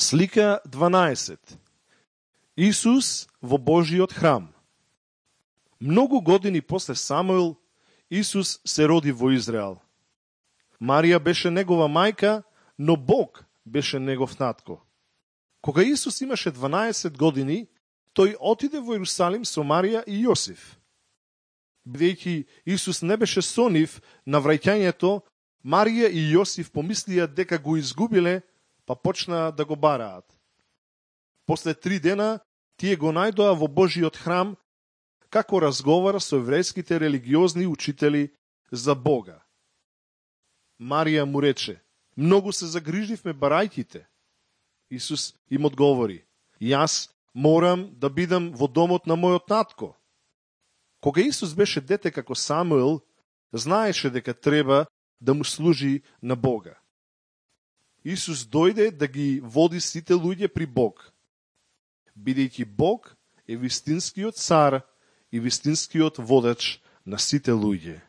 Слика 12. Исус во Божиот храм. Многу години после Самуил, Исус се роди во Израел. Марија беше негова мајка, но Бог беше негов татко. Кога Исус имаше 12 години, тој отиде во Иерусалим со Марија и Јосиф. Бидејќи Исус не беше со нив на враќањето, Марија и Јосиф помислија дека го изгубиле, па почнаа да го бараат. После 3 дена, тие го најдоа во Божиот храм, како разговара со еврејските религиозни учители за Бога. Марија му рече: многу се загриживме барајките. Исус им одговори: јас морам да бидам во домот на мојот татко. Кога Исус беше дете како Самуил, знаеше дека треба да му служи на Бога. Исус дојде да ги води сите луѓе при Бог, бидејќи Бог е вистинскиот цар и вистинскиот водач на сите луѓе.